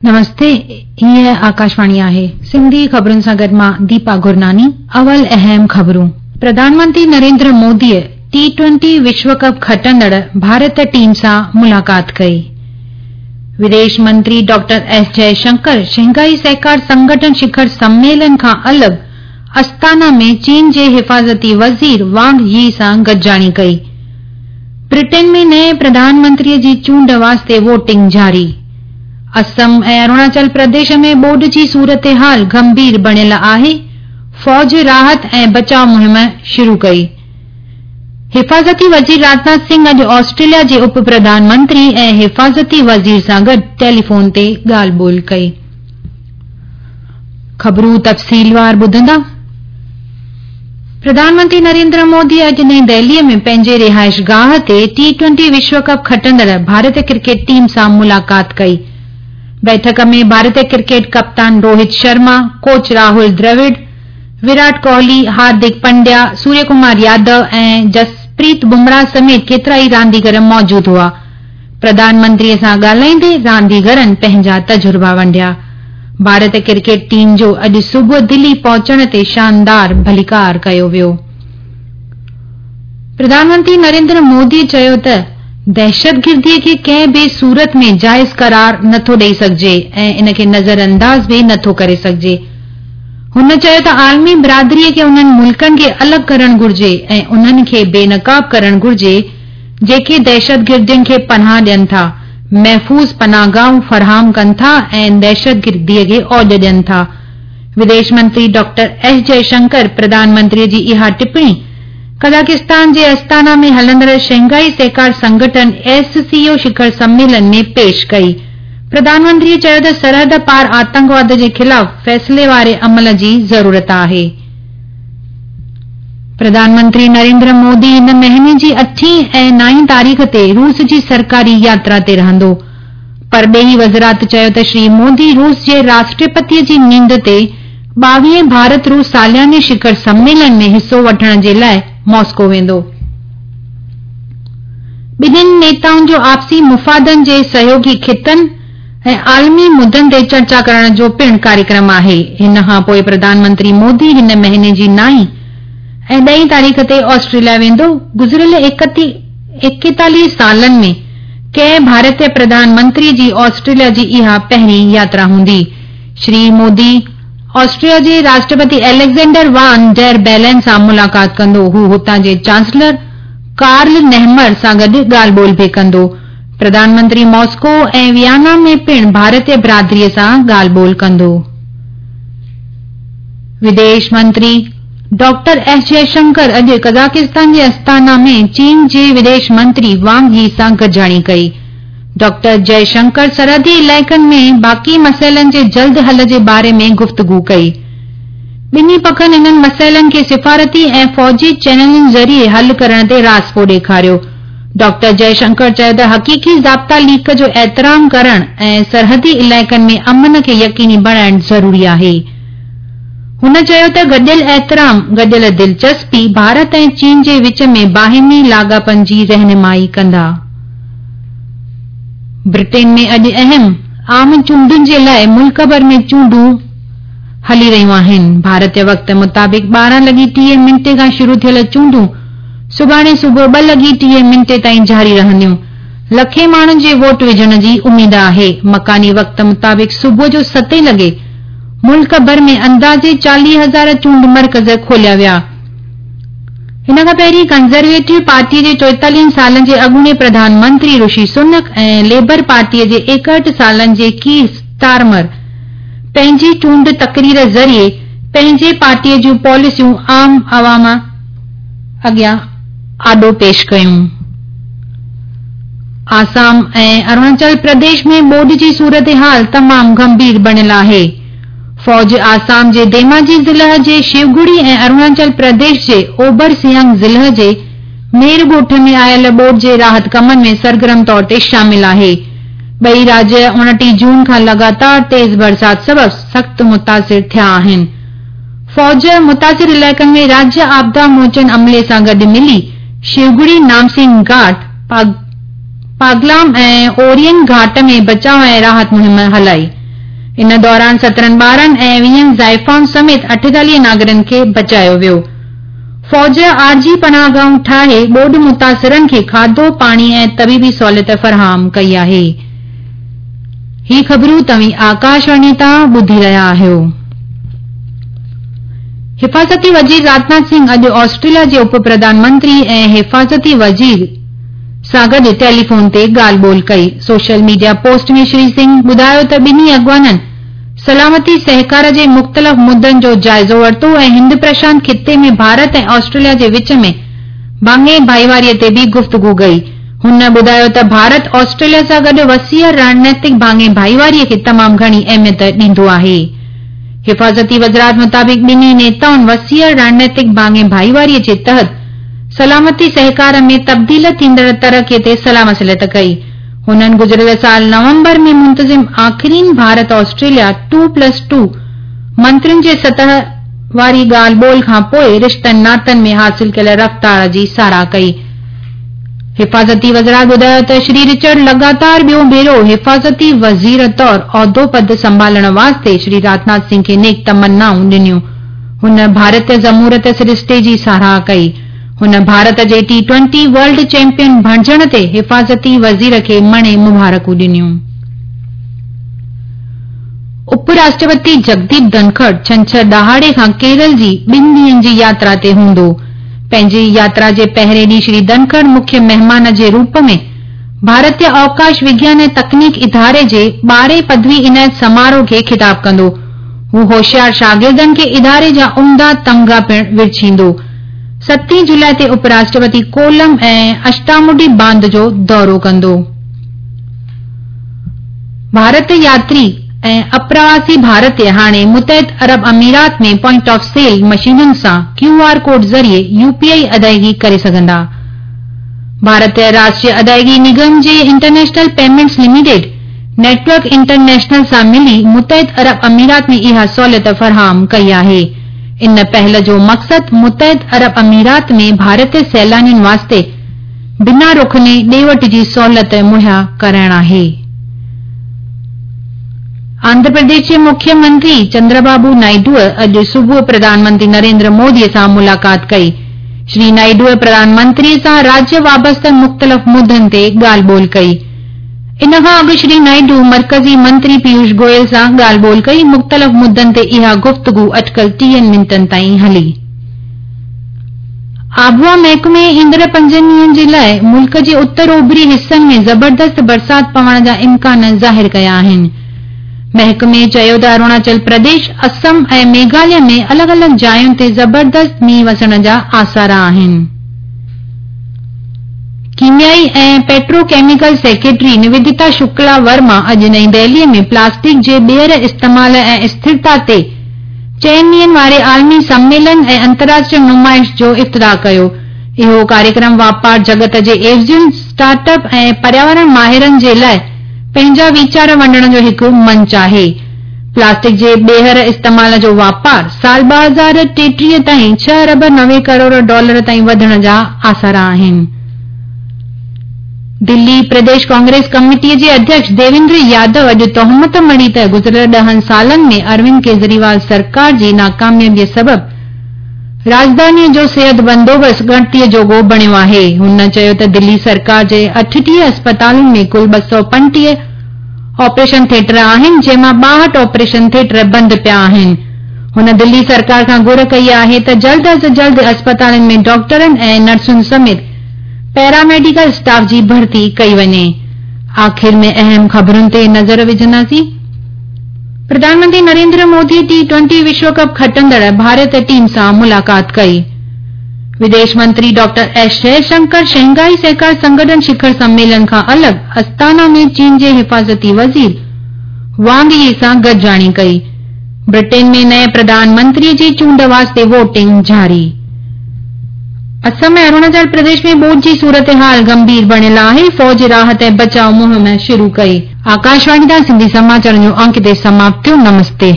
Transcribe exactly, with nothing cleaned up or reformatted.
नमस्ते, हीअ आकाशवाणी आहे। सिंधी ख़बरुनि सां गॾु मां दीपा गुरनानी। अवल अहम ख़बरूं। प्रधानमंत्री नरेंद्र मोदीअ टी ट्वेंटी विश्व कप खटंदड़ भारत टीम सां मुलाक़ात कई। विदेश मंत्री डॉक्टर एस जयशंकर शंघाई सहकार संगठन शिखर सम्मेलन खां अलॻि अस्ताना में चीन जे हिफ़ाज़ती वज़ीर वांग यी सां गॾिजाणी कई। ब्रिटेन में नए प्रधानमंत्रीअ जी चूंड वास्ते वोटिंग जारी। असम ऐं अरुणाचल प्रदेश में ॿोॾ जी सूरत हाल गंभीर बणियल आहे। फ़ौज राहत ऐं बचाव मुहिम शुरू कई। हिफ़ाज़ती वज़ीर राजनाथ सिंह अॼु ऑस्ट्रेलिया जे उप प्रधानमंत्री ऐं हिफ़ाज़ती वज़ीर सां गॾु टेलीफोन ते ॻाल्हि ॿोल कई। ख़बरूं तफ़सीलवार ॿुधंदा। प्रधानमंत्री नरेंद्र मोदी अॼु नई दिल्लीअ में पंहिंजे रिहाइशगाह ते टी ट्वेंटी विश्व कप खटंदड़ भारतीय क्रिकेट टीम सां मुलाक़ात कई। बैठक में भारतीय क्रिकेट कप्तान रोहित शर्मा, कोच राहुल द्रविड़, विराट कोहली, हार्दिक पंड्या, सूर्यकुमार यादव ऐं जसप्रीत बुमराह समेत केतिरा ई रांदीगर मौजूद हुआ। प्रधानमंत्रीअ सां ॻाल्हाईंदे रांदीगरनि पंहिंजा तजुर्बा वंडिया। भारतीय क्रिकेट टीम जो अॼु सुबुह दिल्ली पहुचण ते शानदार भलीकार कयो वियो। प्रधानमंत्री नरेंद्र मोदी चयो त दहशतगिर्दीअ खे कंहिं बि सूरत में जाइज़ करार नथो ॾेई सघिजे ऐं इन खे नज़रअंदाज़ बि नथो करे सघिजे। हुन चयो त आलमी बिरादरीअ खे उन्हनि मुल्कनि खे अलॻि करणु घुर्जे ऐं उन्हनि खे बेनकाब करणु घुर्जे जेके दहशतगिर्दियुनि खे पनाह ॾियनि था, महफ़ूज़ पनाहगाहूं फराहम कनि था ऐं दहशतगिर्दीअ खे औज ॾियनि था। विदेश मंत्री डॉक्टर एस जयशंकर प्रधानमंत्रीअ जी इहा टिप्पणी कज़ाकिस्तान जे अस्ताना में हलंदड़ शंघाई सहकार संगठन एस सी ओ शिखर सम्मेलन में पेश कई। प्रधानमंत्रीअ चयो त सरहद पार आतंकवाद जे ख़िलाफ़ फ़ैसिले वारे अमल जी ज़रूरत आहे। प्रधानमंत्री नरेंद्र मोदी हिन महीने जी अठीं ऐं नाईं तारीख़ ते रूस जी सरकारी यात्रा ते रहंदो। परॾेही वज़ारत चयो त श्री मोदी रूस जे राष्ट्रपतीअ जी नींद ते ॿावीहें भारत रूस सालियाने शिखर सम्मेलन में हिसो वठण जे लाइ मॉस्को वेंदो। ॿिन्हिनि नेताउनि जो आपसी मुफ़ादनि जे सहयोगी ख़ितनि ऐं आलमी मुदनि ते चर्चा करण जो पिणु कार्यक्रम आहे। हिन खां पोइ प्रधानमंत्री मोदी हिन महीने जी नाईं ऐं ॾहीं तारीख़ ते ऑस्ट्रेलिया वेंदो। गुज़िरियल एकेतालीह सालनि में कंहिं भारतीय प्रधानमंत्री जी ऑस्ट्रेलिया जी इहा पहिरीं यात्रा हूंदी। श्री मोदी ऑस्ट्रिया जे राष्ट्रपति एलेक्जेंडर वान डेर बेलन सां मुलाक़ात कंदो। हू हुतां जे चांसलर कार्ल नेहमर सां गॾु ॻाल्हि ॿोल बि कंदो। प्रधानमंत्री मॉस्को ऐं वियना में पिणु भारतीय बिरादरीअ सां ॻाल्हि ॿोल कंदो। विदेश मंत्री डॉक्टर एस जयशंकर अॼु कज़ाकिस्तान जे अस्ताना में चीन जे विदेश मंत्री वांग यी सां गॾिजाणी कई। डॉक्टर जयशंकर सरहदी इलाइक़नि में बाक़ी मसइलनि जे जल्द हल जे बारे में गुफ़्तगू कई। ॿिन्ही पखनि इन्हनि मसइलनि खे सिफारती ऐं फ़ौजी चैनलनि ज़रिए हल करण ते राज़पो ॾेखारियो। डॉक्टर जयशंकर चयो त हक़ीक़ी ज़ाब्ता लीक जो एतिराम करण ऐं सरहदी इलाइक़नि में अमन खे यकीनी बणाइण ज़रूरी आहे। हुन चयो त गॾियल एतिराम, गॾियल दिलचस्पी भारत ऐं चीन जे विच में बाहिमी लाॻापनि जी रहनुमाई कंदा। ब्रिटेन में अॼु अहम आम चूंडुनि जे लाइ मुल्क भर में चूंडूं हली रहियूं आहिनि। भारतीय वक़्त मुताबिक़ ॿारहं लॻी टीह मिंटे खां शुरू थियल चूंडूं सुभाणे सुबुह ॿ लॻी टीह मिंटे ताईं जारी रहंदियूं। लखे माण्हुनि जे वोट विझण जी उमेद आहे। मकानी वक़्त मुताबिक़ सुबुह जो सतें लॻे मुल्क भर में अंदाज़े चालीह हज़ार चूंड मर्कज़ खोलिया विया। हिन खां पहिरीं कंज़र्वेटिव पार्टीअ जे चोएतालीहनि सालनि जे अॻूणे प्रधानमंत्री ऋषि सुनक ऐं लेबर पार्टीअ जे एकहठि सालनि जे कीर स्टारमर पंहिंजी चूंड तकरीर ज़रिए पंहिंजे पार्टीअ जूं पॉलिसियूं आम आवाम अॻियां आॾो पेश कयूं। आसाम ऐं अरुणाचल प्रदेश में ॿोॾ जी सूरत हाल तमामु गंभीर बणियल आहे। फ़ौज आसाम जे धेमाजी ज़िले जे शिवगुड़ी ऐं अरुणाचल प्रदेश जे ओबर सियांग ज़िले जे मेर ॻोठ में आयल ॿोॾ जे राहत कमनि में सरगर्म तौर ते शामिल आहे। ॿई राज्य उणिटीह जून खां लगातार तेज़ बरसात सबबि सख़्तु मुतासिर थिया आहिनि। फ़ौज मुतासिर इलाइक़नि में राज्य आपदा मोचन अमले सां गॾु मिली शिवगुड़ी, नामसिंह घाट, पागलाम ऐं ओरियन घाट में बचाव ऐं राहत मुहिम हलाई। ان दौरान सत्रहं ॿारनि ऐं वीहनि ज़ाइफ़ाउनि समेत अठेतालीह नागरिकनि खे बचायो वियो। फ़ौज आरज़ी पनाहगाहुनि ठाहे ॿोॾ मुतासिरनि खे खाधो, पाणी ऐं तबीबी सहूलियत फराहम कई आहे। ही ख़बरूं तव्हीं आकाशवाणी तां ॿुधी रहिया आहियो। हिफ़ाज़ती वज़ीर राजनाथ सिंह अॼु ऑस्ट्रेलिया जे उप प्रधानमंत्री ऐं हिफ़ाज़ती वज़ीर सां गॾु टेलीफोन ते ॻाल्हि ॿोल कई। सोशल मीडिया पोस्ट में श्री सिंह ॿुधायो त ॿिन्ही अॻवाननि सलामती सहकार जे मुख़्तलिफ़ मुद्दनि जो जाइज़ो वरितो ऐं हिंद प्रशांत ख़िते में भारत ऐं ऑस्ट्रेलिया जे विच में भाङे भाईवारीअ ते बि गुफ़्तगू कई। हुन ॿुधायो त भारत ऑस्ट्रेलिया सां गॾु वसीअ रणनीतिक भाङे भाईवारीअ खे तमामु घणी अहमियत ॾींदो आहे। हिफ़ाज़ती वज़ारत मुताबिक़ ॿिन्ही नेताउनि वसीअ रणनीतिक भाङे भाईवारीअ जे तहत सलामती सहकार में तब्दील थींदड़ तरक़ीअ ते सलाह मसलत कई। हुननि गुज़िरियल साल नवंबर में मुंतज़िम आख़िरीन Bharat Australia two plus two मंत्रियुनि जे सतह वारी ॻाल्हि ॿोल खां पोइ रिश्तनि नातनि में हासिल कयल रफ़्तार जी साराह कई। हिफ़ाज़ती वज़ारत ॿुधायो त श्री रिचर्ड लगातार ॿियो भेरो हिफ़ाज़ती वज़ीर तौर उहिदो पद संभालण वास्ते श्री राजनाथ सिंह खे नेक तमन्नाऊं ॾिनियूं। हुन भारतीय जमहूरियत सरिश्ते जी साराह कई। हुन भारत जे टी ट्वेंटी वर्ल्ड चैंपियन बणजण ते हिफ़ाज़ती वज़ीर खे मणे मुबारकूं ॾिनियूं। उपराष्ट्रपति जगदीप धनखड़ छंछर ॾहाड़े खां केरल जी ॿिनि ॾींहनि जी यात्रा ते हूंदो। पंहिंजी यात्रा जे पहिरें ॾींहुं श्री धनखड़ मुख्य महिमान जे रूप में भारतीय अवकाश विज्ञान ऐं तकनीक इदारे जे ॿारहें पदवी इनायत समारोह खे ख़िताब कंदो। हू होशियार शागिर्दनि खे इदारे जा उम्दा तमगा पिणु विरछींदो। सतीं जुलाई ते उपराष्ट्रपति कोलम ऐं अष्टामुडी बांध जो दौरो कंदो। भारत यात्री ऐं अप्रवासी भारतीय हाणे मुतहिद अरब अमीरात में पॉइंट ऑफ सेल मशीनुनि सां क्यू आर कोड ज़रिए यूपीआई अदायगी करे सघंदा। भारतीय राष्ट्रीय अदायगी निगम जे international payments limited network international सां मिली मुतहिद अरब अमीरात में इहा सहूलियत फराहम कई आहे। इन पहल जो मक़सदु मुतहिद अरब अमीरात में भारतीय सैलानियुनि वास्ते बिना रुखने ॾे वठि जी सहूलियत मुहैया कराइण आहे। आंध्र प्रदेश जे मुख्यमंत्री चंद्रबाबू नायडूअ अॼु सुबुह प्रधानमंत्री नरेंद्र मोदीअ सां मुलाक़ात कई। श्री नायडूअ प्रधानमंत्रीअ सां राज्य वाबस्ता मुख़्तलिफ़ मुद्दनि ते ॻाल्हि ॿोल कई। इन खां अॻु श्री नायडू मर्कज़ी मंत्री पीयूष गोयल सां ॻाल्हि ॿोल कई। मुख़्तलिफ़ मुद्दनि ते इहा गुफ़्तगू अटकल टीहनि मिंटनि ताईं हली। आबहवा महकमे ईंदड़ पंजनि ॾींहनि जे लाइ मुल्क जे उत्तर ओभरी हिसनि में ज़बरदस्त बरसात पवण जा इम्कान ज़ाहिर कया आहिनि। महकमे चयो त अरुणाचल प्रदेश, असम ऐं मेघालय में अलॻि अलॻि जायुनि ते ज़बरदस्त मींहुं वसण जा आसार आहिनि। कीमियाई ऐं पेट्रोकेमिकल सेक्रेटरी निवेदिता शुक्ला वर्मा अॼु नई दिल्लीअ में प्लास्टिक जे ॿीहर इस्तेमाल ऐं स्थिरता ते चइनि ॾींहनि वारे आलमी सम्मेलन ऐं अंतर्राष्ट्रीय नुमाइश जो इफ्तिताह कयो। इहो कार्यक्रम वापार जगत जे एवज़ियुनि, स्टार्टअप ऐं पर्यावरण माहिरनि जे लाइ पंहिंजा वीचार वंडण जो हिकु मंच आहे। प्लास्टिक जे ॿीहर इस्तेमाल जो वापार साल ॿ हज़ार टेटीह ताईं छह अरब नवे करोड़ डॉलर ताईं वधण जा आसार आहिनि। दिल्ली प्रदेश कांग्रेस कमेटीअ जे अध्यक्ष देवेंद्र यादव अॼु तोहमत मढ़ी त गुज़िरियल ॾहनि सालनि में अरविंद केजरीवाल सरकार जी नाकामयाबीअ सबबु राजधानीअ जो सिहत बंदोबस्तु ॻणतीअ जोॻो बणियो आहे। हुन चयो त दिल्ली सरकार जे अठटीह अस्पतालुनि में कुल ॿ सौ पंटीह ऑपरेशन थिएटर आहिनि, जंहिंमां ॿाहठि ऑपरेशन थिएटर बंदि पिया आहिनि। हुन दिल्ली सरकार खां घुर कई आहे त जल्द अज़ जल्द अस्पतालुनि में डॉक्टरनि ऐं नर्सुनि समेत पैरामेडिकल स्टाफ जी भर्ती कई वञे। आख़िर में अहम ख़बरुनि ते नज़र विझंदासीं। प्रधानमंत्री नरेंद्र मोदी टी ट्वेंटी विश्व कप खटंदड़ भारत टीम सां मुलाक़ात कई। विदेश मंत्री डॉक्टर एस जयशंकर शंघाई सहकार संगठन शिखर सम्मेलन खां अलॻि अस्ताना में चीन जे हिफ़ाज़ती वज़ीर वांग यी सां गॾिजाणी कई। ब्रिटेन में नए प्रधानमंत्री जी चूंड वास्ते वोटिंग जारी। असम ऐं अरुणाचल प्रदेश में ॿोॾ जी सूरत हाल गंभीर बणियल आहे। फ़ौज राहत ऐं बचाव मुहिम शुरू कई। आकाशवाणी तां सिंधी समाचारनि जो अंक हिते समाप्त थियो। नमस्ते।